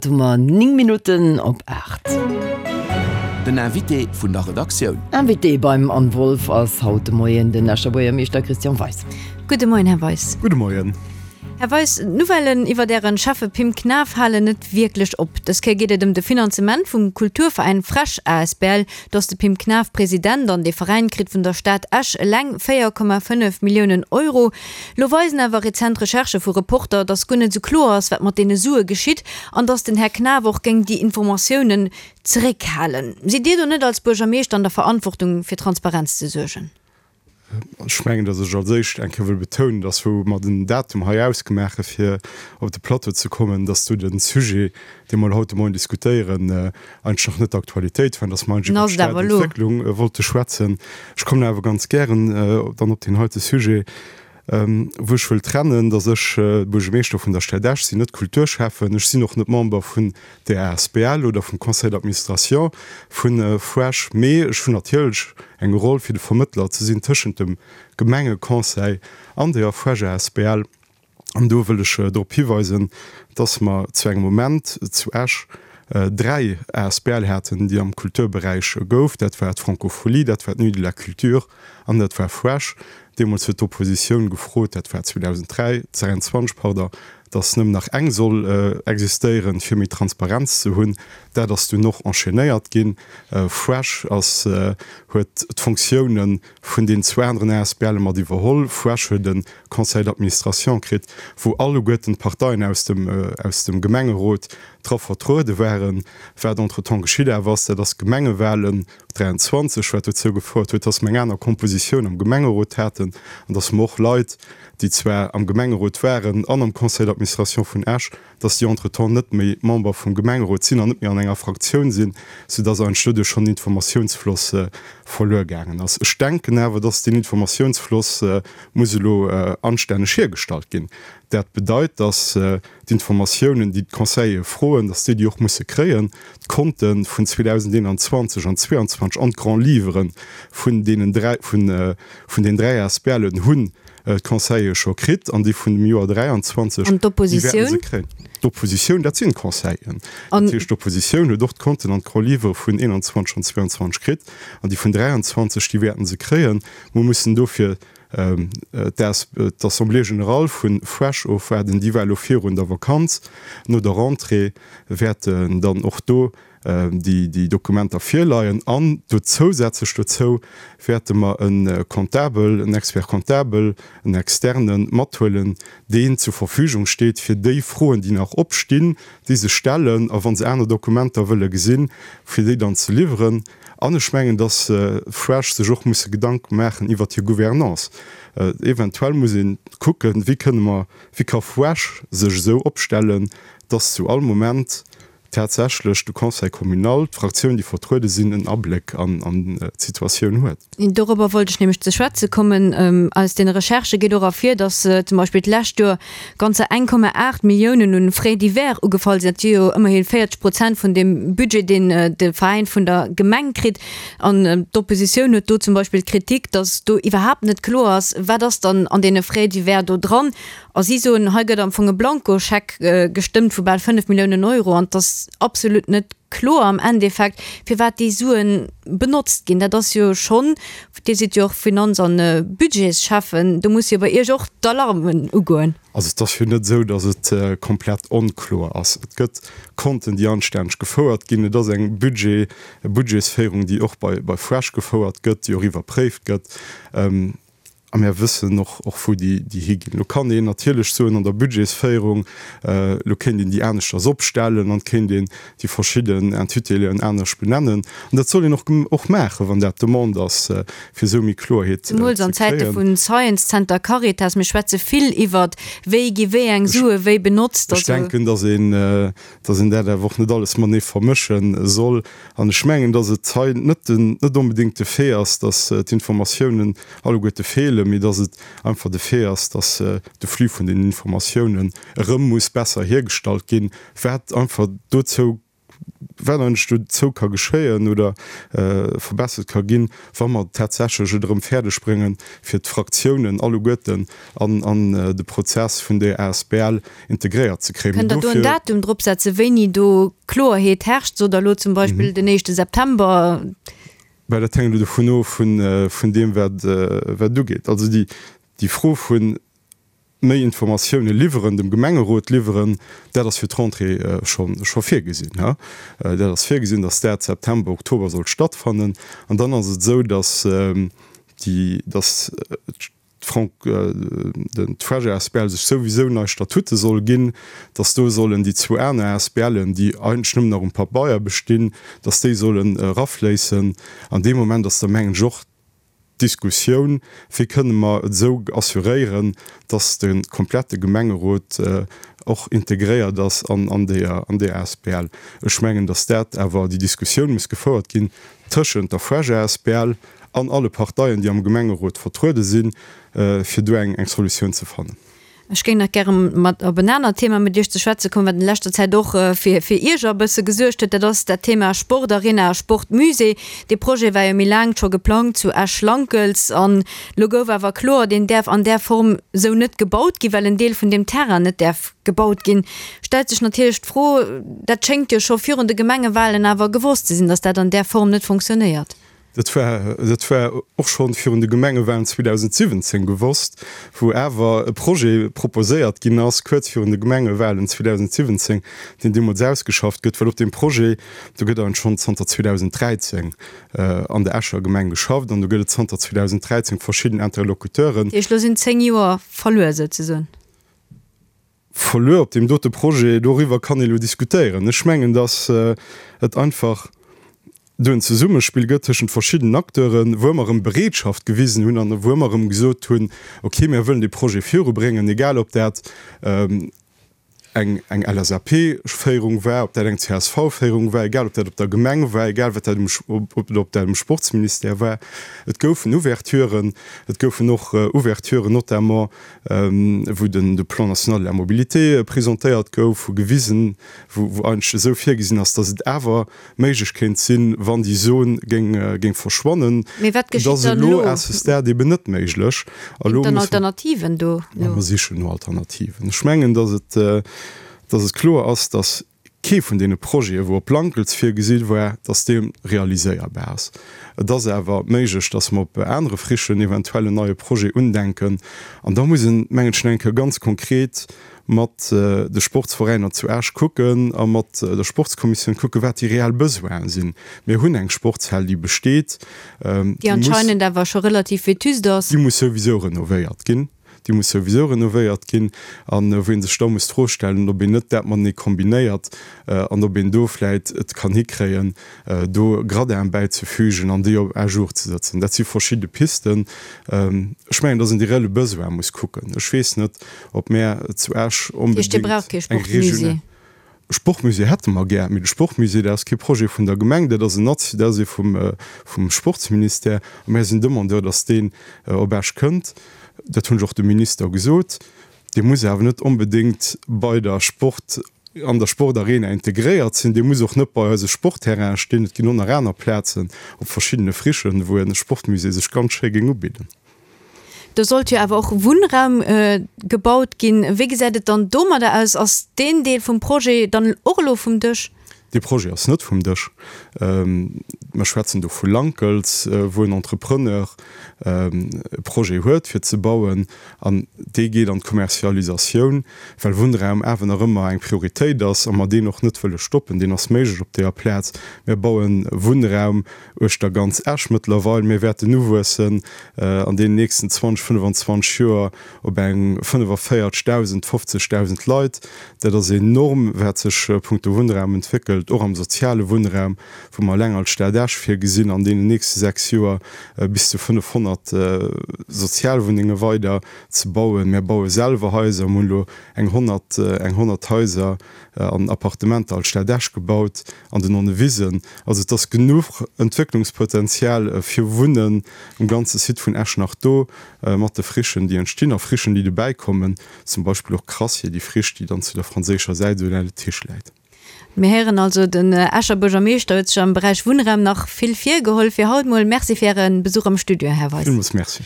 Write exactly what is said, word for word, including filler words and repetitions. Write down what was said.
Hu mer néng Minutten op aacht. Den Invité vun der Redaktioun. Invité beim Anne Wolff ass haut de Moien den Escher Buergermeeschter Christian Weis. Gudde Moien, Här Weis. Gudde Moien. Här Weis, d'Nouvellen iwwert Ären Schäffe Pim Knaff halen net wierklech op. Dës Kéier geet et ëm de Finanzement vum Kulturveräin FrEsch asbl. Do ass de Pim Knaff President an dee Veräin kritt vun der Stad Esch eleng véier Komma fënnef Milliounen Euro. Lo weisen awer rezent Recherchë vu Reporter, datt guer net esou kloer ass, wat mat deene Sue geschitt an datt den Här Knaff och géing déi Informatiounen zeréckhalen. Sidd Dir do net als Buergermeeschter an der Verantwortung, fir Transparenz ze suergen? Ech mengen, datt ech als éischt eng Kéier wëll betounen, datt wou mer den Datum hei ausgemaache fir op de Plateau ze kommen, datt do de Sujet, dee mer haut de Moien diskutéieren, eigentlech nach net d'Aktualitéit war, datt mer eigentlech iwwer d'Stadentwécklung wollte schwätzen. Ech kommen awer ganz gären dann op deen heite Sujet, wou ech wëll trennen, datt ech Buergermeeschter vun der Stad Esch sinn, net Kulturschäffen. Ech sinn och net Member vun der asbl oder vum Conseil d'administration vun FrEsch, mee ech hunn natierlech eng Roll fir de Vermëttler ze sinn tëschent dem Gemengeconseil an der FrEsch asbl. An do wëll ech drop hiweisen, dass mer zu engem Moment zu Esch dräi asbl haten, déi am Kulturberäich gouf. Dat war d'Francophonie, dat war d'Nuit de la Culture an dat war FrEsch. Deemools huet d'Oppositioun gefrot, dat war zweedausenddräi, dräianzwanzeg, pardon, dass nëmmen nach eng soll existéieren, fir méi Transparenz ze hunn. Dat ass dunn och enchaînéiert ginn. FrEsch ass, huet d'Fonctiounen vun deenen zwou aneren asbl'e mat iwwerholl. FrEsch huet e Conseil d'administration kritt, wou alleguerten d'Parteien aus dem, aus dem Gemengerot dra vertruede waren. Wat entretemps geschitt awer ass, dat ass d'Gemengewahlen dräianzwanzeg, wat dozou gefouert huet, dass mer eng aner Kompositioun am Gemengerot haten an dass mer och Leit, déi zwar am Gemengerot waren an am Conseil d'administration vun Esch, dass déi entretemps net méi Member vum Gemengerot sinn an net méi an enger Fraktioun sinn, soudass eigentlech doduerch schonn den Informatiounsfloss verluer gaangen ass. Ech denken awer, dass deen Informatiounsfloss muss elo anstänneg hiergestallt ginn. Dat bedeit, dass d'Informatiounen, déi d'Conseillere froen, dass déi déi och musse kréien. D'Konte vun zweedausendeenanzwanzeg an zweeanzwanzeg an d'Grands Livres vun deenen dräi, vun, vun den dräi ASBLen hunn d'Conseillere scho kritt an déi vun dem Joer dräianzwanzeg, An déi wäerten se d'Oppositioun? kréien. D'Oppositioun, dat sinn d'Conseilleren. An. Dat heescht, d'Oppositioun huet och d'Konten an d'Grands Livres vun eenanzwanzeg an zweeanzwanzeg kritt an déi vun dräianzwanzeg, déi wäerten se kréien. Mer mussen dofir d'Assemblée générale vu FrEsch ofwaarden, déi war elo virun der Vakanz. No der Rentrée wäerten dann och do déi Dokumenter virleien. An do zousätzlech dozou wäerte mer e Comptabel, en Expert comptable, en externe mathuelen, deen zur Verfügung steet, fir déi Froen, déi nach opstinn, déi sech stellen, a wa se aner Dokumenter wëlle gesinn, fir déi dann ze liwweren. An ech mengen, dass FrEsch sech och musse Gedanke maachen iwwert hir Gouvernance. Eventuell muss ee kucken, wéi kënne mer, wéi ka FrEsch sech esou opstellen, dass zu all Moment tatsächlech de Conseil communal, d'Fraktioun, déi vertruede sinn, en Abléck an d'Situatioun huet. Dorobber wollt ech nämlech ze schwätze kommen. Aus deene Recherchë geet och ervir, datt zum Beispill d'lescht Joer ganzer eng Komma aacht Milliounen un Frais divers ugefall sinn. Dat si jo ëmmerhi véierzeg Prozent vun deem Budget, deen de Veräin vun der Gemeng kritt. An d'Oppositioun huet do zum Beispill d'Kritik, datt do iwwerhaapt net kloer ass, wat ass dann an deene Frais divers do dran. A si soen, hei gëtt am Fong e Blankoscheck gestëmmt vu bal fënnef Milliounen Euro an et ass absolut net kloer am Endeffekt, firwat déi Sue benotzt ginn. Dat ass jo schonn, Dir sidd jo och Finanz an Budgetsschäffen, do muss jo bei Iech och d'Alarmen ugoen. Also et ass jo net esou, datt et komplett onkloer ass. Et gëtt Konten, déi anstänneg gefouert ginn. Et ass eng Budget, Budgetsféierung, déi och bei bei FrEsch gefouert gëtt, déi och iwwerpréift gëtt. A mir wëssen och, och wou déi, déi higinn. Lo kann een natierlech soen, an der Budgetsféierung, lo kéint een déi aneschters opstellen an et kéint een déi verschidden Intituléen anescht benennen. An dat soll een och, och maachen, wann dat d'Demande ass, fir esou méi Kloerheet ze Zemools an Zäite kréien. vu Science Center, Caritas, mir schwätze vill iwwert, wéi gi wéi eng Sue wéi benotzt. Ech denken, dass een, dass een dat awer och net alles matenee vermësche soll. An ech mengen, dass et hei net den, net onbedéngt de Fait ass, dass d'Informatiounen alleguerte feelen, mee dass et einfach de Fait ass, dass de Flux vun den Informatiounen erëm muss besser hiergestallt ginn, wat einfach dozou wat eigentlech dozou ka geschéien oder verbessert ka ginn, wa mer tatsächlech et erëm fäerdeg bréngen, fir d'Fraktiounen alleguerten an an de Prozess vun där asbl integréiert ze kréien. Kënnt Der do en Datum drop setzen, wéini do Kloerheet herrscht? Sot Der elo zum Beispill den éischte September? Well dat hänkt elo dovun of, vun deem, wat wat ugeet. Also déi déi Fro vu méi Informatioune liwweren, dem Gemengerot liwweren, dat ass fir d'Rentrée scho scho virgesinn. Dat ass virgesinn, datt dat September, Oktober soll stattfannen. An dann ass et esou, datt déi datt d'Frank den d'Fresh asbl sech souwisou nei Statute soll ginn, datt do sollen déi zwou aner ASBLen, déi eigentlech nëmmen nach um Pabeier bestinn, datt déi sollen erafléissen. An dee Moment ass da mengen ech och d'Diskussioun, wéi kënne mer et esou assuréieren, datt de komplette Gemengerot och integréiert ass an déi an déi asbl. Ech mengen, datt dat awer déi Diskussioun muss gefouert ginn tëschent der FrEsch asbl an alle Parteien, déi am Gemengerot vertruede sinn, fir do eng Solutioun ze fannen. Ech géing nach gäre mat op en anert Thema mat Iech ze schwätze kommen, wat an leschter Zäit och fir fir Ierger e bësse gesuergt huet. Dat ass dat Thema Sportarena, Sportmusée. Dee Projet war jo méi laang scho geplangt zu Esch-Lankels an elo gouf awer kloer, deen däerf an där Form esou net gebaut ginn, well en Deel vun deem Terrain net däerf gebaut ginn. Stellt sech natierlech d'Fro, dat schéngt jo scho virun de Gemengewahlen awer gewosst ze sinn, datt dat an där Form net fonctionnéiert. Dat war, dat war och schonn virun de Gemengewahlen zweedausendsiwwenzéng gewosst, wou awer e Projet proposéiert ginn ass, kuerz virun de Gemengewahlen zweedausendsiwwenzéng, deen deemools ausgeschafft gëtt, well op deem Projet, do gëtt eigentlech schonn zanter zweedausendräizéng an der Escher Gemeng geschafft an do gëtt et zanter zweedausendräizéng verschidden Interlocuteuren. Dat heescht, elo sinn zéng Joer verluer souzesoen? Verluer op deem dote Projet, doriwwer kann ee elo diskutéieren. Ech mengen, datt et einfach do en Zesummespill gëtt tëschent verschiddenen Acteuren, wou ëmmer erëm Bereetschaft gewisen hunn an wou ëmmer erëm gesot hunn, okay, mir wëllen dee Projet virubréngen, egal ob dat eng eng L S A P-Féierung war, ob dat eng C S V-Féierung war, egal ob dat op der Gemeng war, egal wat dat um ob dat um Sportsministère war. Et goufen Ouverturen, et goufen och Ouverturen notamment wou den de Plan national de la mobilité presentéiert gouf, wou gewisen, wou wou eigentlech esou virgesinn ass, datt et awer méiglech kéint sinn, wann déi Zon géing géing verschwannen. Mee wat Et geschitt ass dann elo elo? à ce stade eben net méiglech. A Ginn lo et dann musse mer Alternativen do Ma elo? mer sichen no Alternativen. Ech mengen, datt et datt et kloer ass, datt kee vun deene Projete wou op Lankels virgesi war, datt dee realiséierbar ass. Et ass awer méiglech, datt mer op anere Frichen eventuell en neie Projet undenken. An da muss een, mengen ech, nach eng Kéier ganz konkret mat de Sportsveräiner zu Esch kucken a mat der Sportskommissioun kucken, wat déi reell Besoine sinn. Mir hunn eng Sportshal, déi besteet, Déi déi muss, anscheinend awer scho relativ vétuste ass. déi muss souwisou renovéiert ginn. Déi muss souwisou renovéiert ginn an wou ee sech da muss d'Fro stellen, ob een net dat matenee kombinéiert an ob een do vläit et kann hikréien, do Gradinen bäizefügen an déi op à jour ze setzen. Dat si verschidde Pisten. Ech mengen, dass een déi reelle Besoine muss kucken. Ech weess net, ob mär zu Esch Dat heescht, Dir onbedéngt braucht kee eng regional. Sportmusée? Sportmusée hätte mer gär, mee de Sportmusée, dat ass kee Projet vun der Gemeng, dat ass en nati-, dat ass ee vum, vum Sportsministère. A mär sinn Demandeur, dass deen op Esch kënnt. Dat hunn ech och dem Minister gesot. Dee muss awer net onbedéngt bei der Sport, an der Sportarena integréiert sinn. Dee muss och net bei eise Sportterraine stinn. Et ginn och nach aner Plazen op verschiddene Frichen, wou e Sportmusée sech ganz schéi géing ubidden. Do sollt jo awer och Wunnraum gebaut ginn. Wéi gesäit et dann domadder aus? Ass deen Deel vum Projet dann och elo vum Dësch? Dee Projet ass net vum Dësch. Mer schwätzen do vu Lankels, wou en Entrepreneur e Projet huet fir ze bauen an dee geet an d'Kommerzialisatioun, well Wunnraum awer nach ëmmer eng Prioritéit ass a mer deen och net wëlle stoppen. Deen ass méiglech op deeër Plaz. Mir baue Wunnraum uechter ganz Esch mëttlerweil. Mir wäerten uwuessen an deenen nächsten zwanzeg, fënnefenzwanzeg Joer op eng fënnefavéierzegdausend, fofzegdausend Leit. Dat ass enorm, wat sech punkto Wunnraum entwéckelt, och am soziale Wunnraum, wou mer eleng als Stad Esch virgesinn, an deenen nächste sechs Joer bis zu fënnefhonnert Sozialwunnenge weider ze bauen. Mir baue selwer Haiser, mir hunn elo eng honnert, eng honnert Haiser an Appartementer als Stad Esch gebaut an den Nonnewisen. Also et ass genuch Entwécklungspotenzial fir Wunnen um ganze Site vun Esch nach do, mat de Frichen, déi entstinn a Frichen, déi dobäikommen, zum Beispill och Crassier, déi Friche, déi dann zu der franséischer Säit esou laang de Tisch läit. Mir héieren also, den Escher Buergermeeschter huet sech am Beräich Wunnraum nach vill virgeholl fir haut mol. Merci fir Äre Besuch am Studio, Här Weis. Villmools Merci.